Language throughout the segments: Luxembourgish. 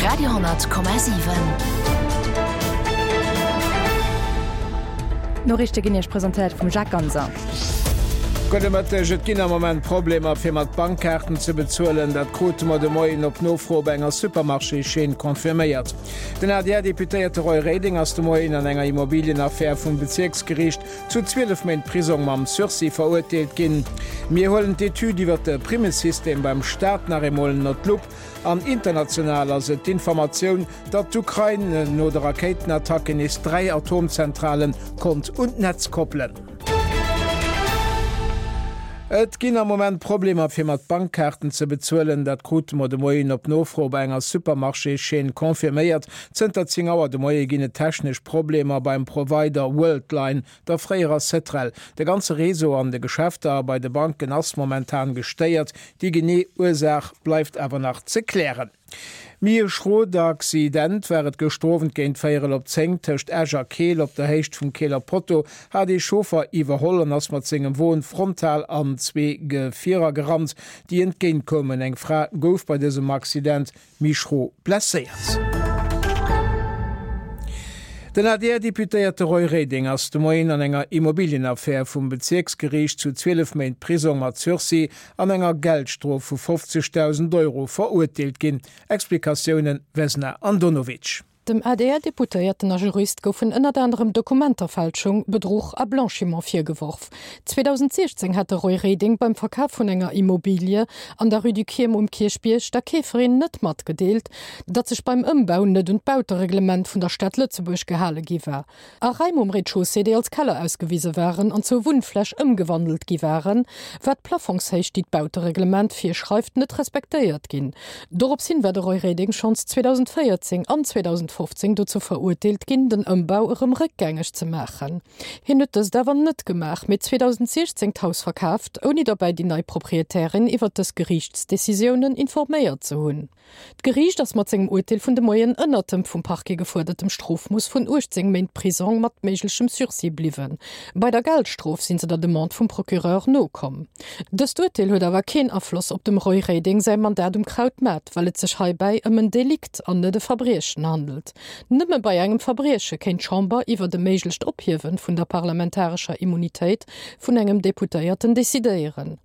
Radio,7. D'Noriichte ginn Iech presentéiert vum Jacques Ganser. Gudde Mëtteg. Et ginn am Moment Problemer fir mat Bankkaarten ze bezuelen. Dat krute mer de Moien op Nofro op enger Supermarchéschaîne confirméiert. Den ADR-Deputéierte Roy Reding ass de Moien an enger Immobilienaffär vum Bezierksgeriicht zu 12 Méint Prisong mam Sursis verurteelt ginn. Mir huelen d'Etüd iwwer de Primmesystem beim Staat nach eemol ënner d'Lupp. An international ass et d'Informatioun, datt d'Ukrain no de Rakéitenattacken nees 3 Atomzentrale konnt un d'Netz koppelen. Et ginn am Moment Problemer fir mat Bankkaarten ze bezuelen. Dat krute mer de Moien op Nofro bei enger Supermarchéschaîne confirméiert. Zënter 10 Auer de Moie ginn et technesch Problemer beim Provider Worldline, der fréierer Cetrel. De ganze Réseau an de Geschäfter a bei de Banken ass momentan gestéiert. Déi genee Ursaach bleift awer nach ze klären. Méi e schrot Accident war et gëschter Owend géint véierel op 10 tëscht Esch a Keel. Op der Héicht vum Keeler Potto hat ee Chauffer iwwerholl an ass mat sengem Won frontal an zwee Gefierer gerannt, déi entgéint koumen. Eng Fra gouf bei dësem Accident méi schro blesséiert. Den ADR-Deputéierte Roy Reding ass de Moien an enger Immobilienaffär vum Bezierksgeriicht zu 12 Méint Prisong mat Sursis an enger Geldstrof vu 50.000 Euro verurteelt ginn. Explikatiounen Vesna Andonovic. Dem ADR-Deputéierten a Jurist goufen ënnert anerem Dokumenterfälschung, Bedruch a Blanchiment virgeworf. 2016 hat de Roy Reding beim Verkaf vun enger Immobilie an der Rue du Chiem um Kierchbierg der Keeferin net matgedeelt, datt sech beim Ëmbau net un d'Bautereglement vun der Stad Lëtzebuerg gehale gi war. A Raim um Rez-de-chaussée, déi als Keller ausgewise waren an zur Wunnfläch ëmgewandelt gi waren, war d'Plafongshéicht, déi d'Bautereglement virschreift, net respektéiert ginn. Dorops hin war de Roy Reding schonns 2014 an 2015 dozou verurteelt ginn, den Ëmbau erëm réckgängeg ze maachen. Hien huet dëst awer net gemaach, mee 2016 d'Haus verkaaft, ouni derbäi déi nei Proprietärin iwwer dës Geriichtsdecisiounen informéiert ze hunn. D'Geriicht ass mat sengem Urteel vun de Moien ënnert dem vum Parquet gefuerdertem Strofmooss vun 18 Méint Prisong mat méiglechem Sursis bliwwen. Bei der Geldstrof sinn se der Demande vum Procureur nokomm. Dëst Urteel huet awer keen Afloss op dem Roy Reding säi Mandat um Krautmaart, well et sech heibäi ëm en Delikt an net e Verbriechen handelt. Nëmme bei engem Verbrieche kéint d'Chamber iwwert e méiglecht Ophiewe vun der parlamentarescher Immunitéit vun engem Deputéierten decidéieren.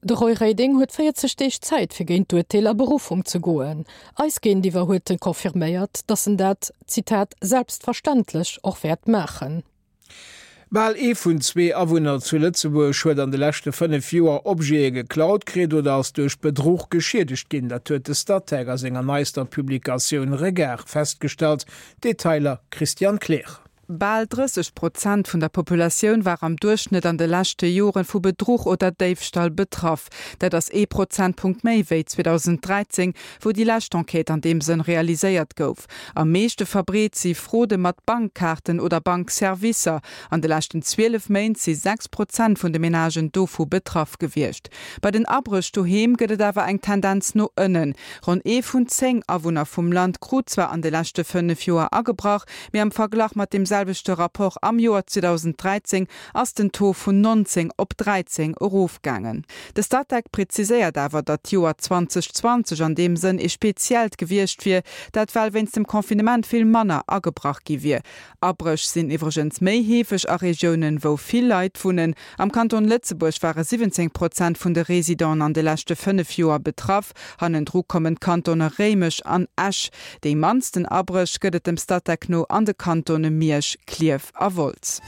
De Roy Reding huet 40 Deeg Zäit fir géint d'Urteel a Beruffung ze goen. Eis géintiwwer huet en confirméiert, datt en dat, Zitat, selbstverständlech och wäert maachen. Bal ee vun zwee Awunner zu Lëtzebuerg huet an de leschte 5 Joer Objete geklaut kritt oder ass duerch Bedruch geschiedegt ginn. Dat huet de Statec a senger neister Publikatioun Regard festgestallt. Detailer Christian Kleer. Bal 30 Prozent vun der Populatioun war am Duerchschnëtt an de leschte Jore vu Bedruch oder Déifstall betraff. Dat ass ee Prozentpunkt méi wéi 2013, wou déi lescht Enquête an deem Sënn realiséiert gouf. Am meeschte verbreet si Fraude mat Bankkaarten oder Bankservicer. An de leschten 12 Méint si 6 Prozent vun de Menagen dovu betraff gewiescht. Bei den Abréch doheem gëtt et awer eng Tendenz no ënnen. Ronn ee vun 10 Awunner vum Land krut zwar an de leschte 5 Joer agebrach, Mee am Verglach mat deem selwechte Rapport am Joer 2013 ass den Taux vun 19 op 13 erofgaangen. De Statec preziséiert awer, datt d'Joer 2020 an deem Sënn ee speziellt gewiescht wier, dat well wéinst dem Confinement vill manner agebrach gi wier. Abréch sinn iwwregens méi heefeg a Regiounen, wou vill Leit wunnen. Am Kanton Lëtzebuerg ware 17 Prozent vun de Residenten an de leschte 5 Joer betraff. Hannendru kommen d'Kantone Réimech an Esch. Déi mannsten Abréch gëtt et dem Statec no an de Kantone Miersch, Klierf a Wolz.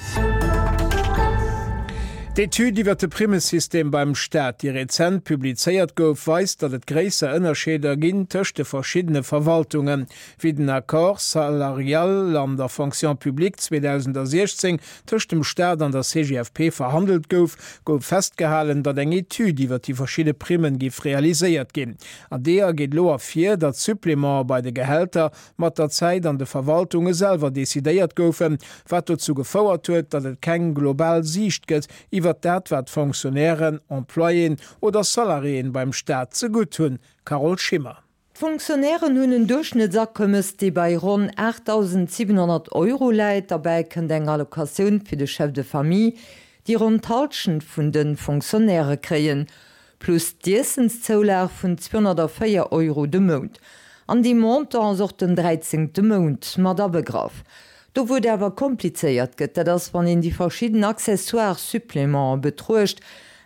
D'Etüd iwwer de Primmesystem beim Staat, déi rezent publizéiert gouf, weist, datt et gréisser Ënnerscheeder ginn tëscht de verschiddene Verwaltungen. Wéi den Accord salarial an der Fonction publique 2016 tëscht dem Staat an der CGFP verhandelt gouf, gouf festgehalen, datt eng Etüd iwwer déi verschidde Primmen giff realiséiert ginn. An deeër geet elo ervir, datt d'Supplémente bei de Gehälter mat der Zäit an de Verwaltunge selwer decidéiert goufen, wat dozou gefouert huet, datt et keng global Siicht gëtt iwwer dat, wat Fonctionnairen, Employéen oder Salariéen beim Staat zegutt hunn. Carole Schimmer. D'Fonctionnairen hunn en Duerchschnëttsakommes, dee bei ronn 8.700 Euro läit. Derbäi kënnt eng Allocatioun fir de Chef de famille, déi ronn d'Hallschent vun de Fonctionnairë kréien, plus d'Iessenszoulag vun 204 Euro de Mount. An deem Montant ass och den dräizéngte Mount mat abegraff. Do wou et awer komplizéiert gëtt, dat ass wann een déi verschidden accessoires Supplémenten betruecht.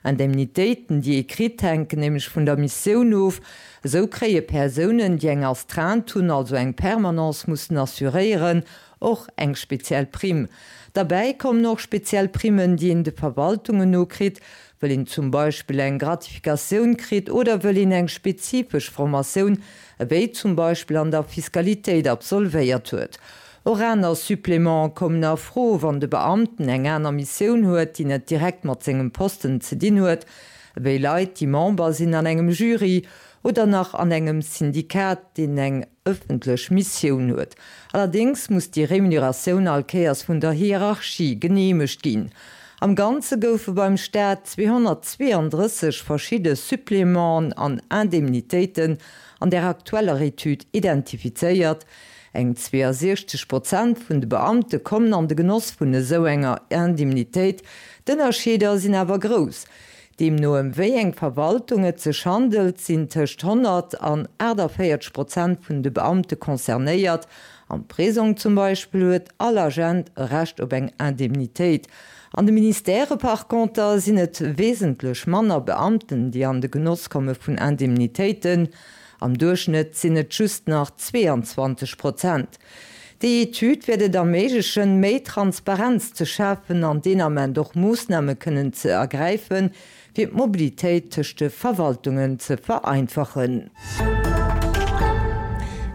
Indemnitéiten, déi ee kritt, hänken nämlech vun der Missioun of. Esou kréie Persounen, déi eng Astreinte hunn, also eng Permanence mussen assuréieren, och eng speziell Primm. Derbäi kommen och speziell Primmen, déi een de Verwaltungen no kritt, wëll een zum Beispill eng Gratifikatioun kritt oder wëll een eng spezifesch Formatioun, ewéi zum Beispill an der Fiskalitéit, absolvéiert huet. Och aner Supplémenten kommen a Fro, wann de Beamten eng aner Missioun huet, déi net direkt mat sengem Posten ze dinn huet, ewéi Leit, déi Member sinn an engem Jury oder nach an engem Syndikat, deen eng ëffentlech Missioun huet. Allerdéngs muss déi Remuneratioun all Kéiers vun der Hierarchie geneemegt ginn. Am Ganze goufe beim Staat 232 verschidde Supplémenten an Indemnitéiten an der aktueller Etüd identifizéiert. Eng 62 Prozent vun de Beamte kommen an de Genoss vun esou enger Indemnitéit. D'Ënnerscheeder sinn awer grouss. Deemno ëm wéi eng Verwaltung et sech handelt, sinn tëscht 100 an 48 Prozent vun de Beamte concernéiert. Am Prisong zum Beispill huet all Agent e Recht op eng Indemnitéit. An de Ministèrë par conter sinn et wesentlech manner Beamten, déi an de Genoss komme vun Indemnitéiten. Am Duerchschnëtt sinn et just nach 22 Prozent. Déi Etüd wäert et erméiglechen, méi Transparenz ze schafen an deen Ament och Moossname kënnen ze ergräifen, fir d'Mobilitéit tëscht de Verwaltungen ze vereinfachen.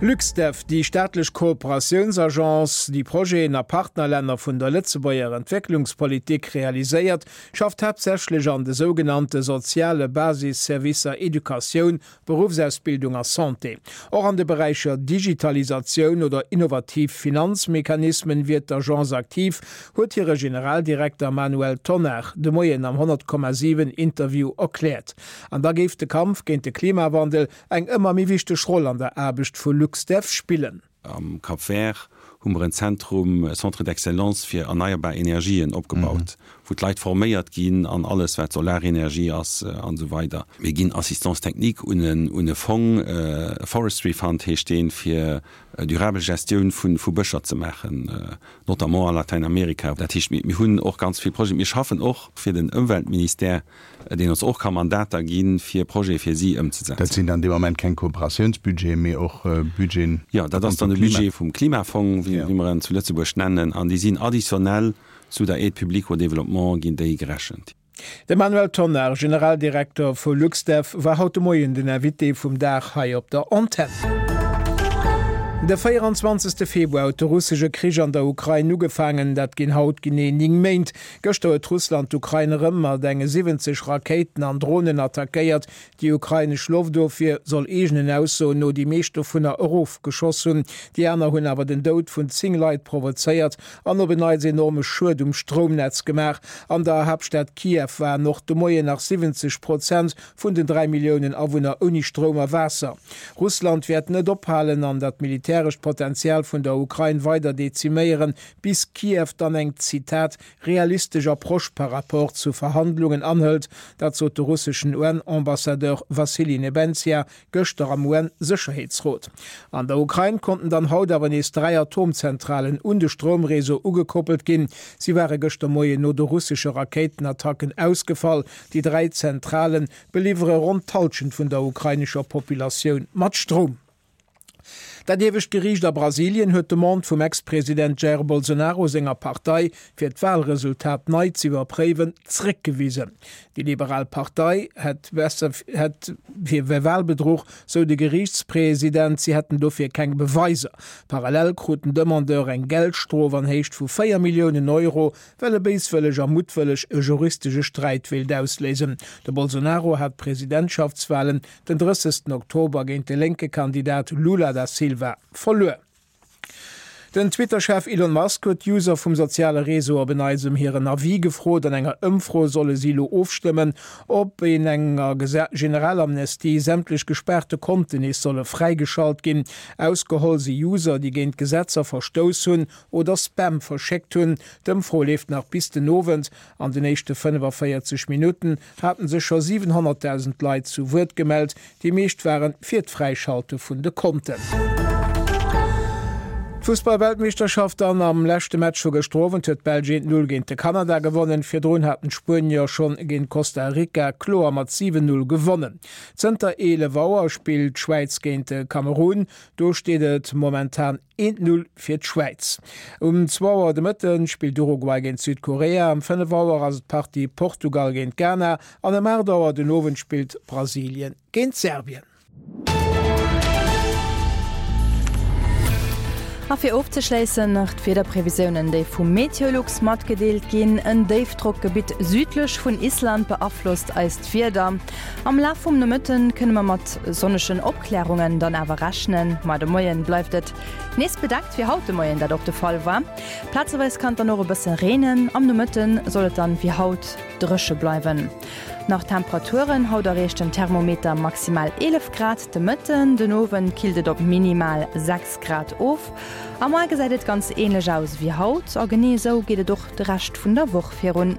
LuxDev, déi staatlech Kooperatiounsagence, déi Projeten a Partnerlänner vun der Lëtzebuerger Entwécklungspolitik realiséiert, schafft haaptsächlech an de sougenannte soziale Basisservicer Educatioun, Beruffsausbildung a Santé. Och an de Beräicher Digitalisatioun oder innovativ Finanzmechanismen wier d'Agence aktiv, huet hire Generaldirekter Manuel Tonnar de Moien am 100,7 Interview erkläert. An da géif de Kampf géint de Klimawandel eng ëmmer méi wichteg Roll an der Aarbecht vu LuxDev spillen. Am Cap Vert hu mer en Zentrum, e Centre d'excellence fir erneierbar Energien opgebaut, wou d'Leit forméiert ginn an alles wat Solarenergie ass an esou weider. Mir ginn Assistance technique un en e Fong, e Forestry Fund heescht deen, fir durabel Gestioun vu Bëscher ze maachen, notamment a Latäinamerika. Dat heescht, mir hunn och ganz vill Projeten. Mir schaffen och fir den Ëmweltministère deen ons och ka Mandater gi fir Projete fir si ëmzesetzen. Dat sinn dann dee Moment keng Kooperatiounsbudgeten, mee och Budgeten Jo, dat ass dann de Budget vum Klimafong, wéi mer en zu Lëtzebuerg nennen, an déi sinn additionnel zu der Aide publique au développement ginn déi gerechent. De Manuel Tonnar, Generaldirekter vu LuxDev, war haut de Moien den Invité vum Dag hei op der Antenn. De 24. Februar huet de russesche Krich an der Ukrain ugefaangen. Dat ginn haut genee 9 Méint. Gëschter huet Russland d'Ukrain erëm mat enge 70 Rakéiten an Dronen attackéiert. Déi ukrainesch Loftofwier soll eegenen Aussoen no déi meescht dovunner erofgeschoss hunn. Déi aner hunn awer den Doud vun 10 Leit provozéiert an op en Neits enorme Schued um Stroumnetz gemaach. An der Haaptstad Kiew waren och de Moien nach 70 Prozent vun den 3 Milliounen Awunner ouni Stroum a Waasser. Russland wäert net ophalen an dat militärescht Potenzial vun der Ukrain weider deziméieren, bis Kiew dann eng, Zitat, realistesch Approche par rapport zu Verhandlungen anhëlt, dat sot de russeschen UN-Ambassadeur Vassily Nebenzia gëschter am UN-Sécherheetsrot. An der Ukrain konnten dann haut awer nees 3 Atomzentralen un de Stroumreseau ugekoppelt ginn. Si ware gëschter Moien no de russesche Rakéitenattacken ausgefall. Déi 3 Zentrale beliwwere ronn d'Hallschent vun der ukrainescher Populatioun mat Stroum. Dat iewescht Geriicht a Brasilien huet d'Demande vum Ex-President Jair Bolsonaro senger Partei, fir d'Walresultat nei z'iwwerpréiwen, zréckgewisen. Déi liberal Partei hätt besser hätt fir Walbedruch, sou de Geriichtspresident. Si hätten dofir keng Beweiser. Parallel krut den Demandeur eng Geldstrof an Héicht vu 4 Milliounen Euro, well e béiswëlleg a muttwëlleg e juristesche Sträit wéilt ausléisen. De Bolsonaro hat d'Presidentschaftswalen den 30 Oktober géint de lénke Kandidat Lula da Silva verluer. Den Twitter-Chef Elon Musk huet d'User vum soziale Réseau op en Neits ëm hiren Avis gefrot. An enger Ëmfro solle si elo ofstëmmen, ob een enger Generalamnestie sämtlech gespaarte Konten nees solle fräigeschalt ginn. Ausgeholl si User, déi géint Gesetzer verstouss hunn oder Spam verschéckt hunn. D'Ëmfro leeft nach bis den Owend. An den éischte 45 Minutten haten sech scho 700.000 Leit zu Wuert gemellt. Déi meescht ware fir d'Fräischalte vun de Konten. D'Fussball-Weltmeeschterschaft dann, Am leschte Match vu gëschter Owend huet d'Belsch 1, 0 géint de Kanada gewonnen. Virdrun haten d'Spuenier schonn géint Costa Rica kloer mat 7, 0 gewonnen. Zënter 11 Auer spillt d'Schwäiz géint de Kamerun. Do steet et momentan 1, 0 fir d'Schwäiz. Um zwou Auer de Mëtte spillt Uruguay géint Südkorea, um 5 Auer ass et d'Partie Portugal géint Ghana an ëm 8 Auer den Owend spillt Brasilien géint Serbien. A fir ofzeschléissen nach d'Wiederprevisiounen, déi vu Meteolux matgedeelt ginn. En Déifdrockgebitt südlech vun Island beaflosst eist Wieder. Am Laf vum Nomëtte kënne mer mat sonnegen Opklärungen dann awer rechnen, ma de Moien bleift et nees bedeckt, wéi haut de Moien dat och de Fall war. Plazeweis kann et dann och e bësse reenen, am Nomëtte soll et dann wéi haut dréche bleiwen. Nach d'Temperaturen, Haut erreecht den Thermometer maximal 11 Grad de Mëtten, den Owend killt et op minimal 6 Grad of. A muer gesäit et ganz änlech aus wéi haut a genee esou geet et och de Rescht vun der Woch virun.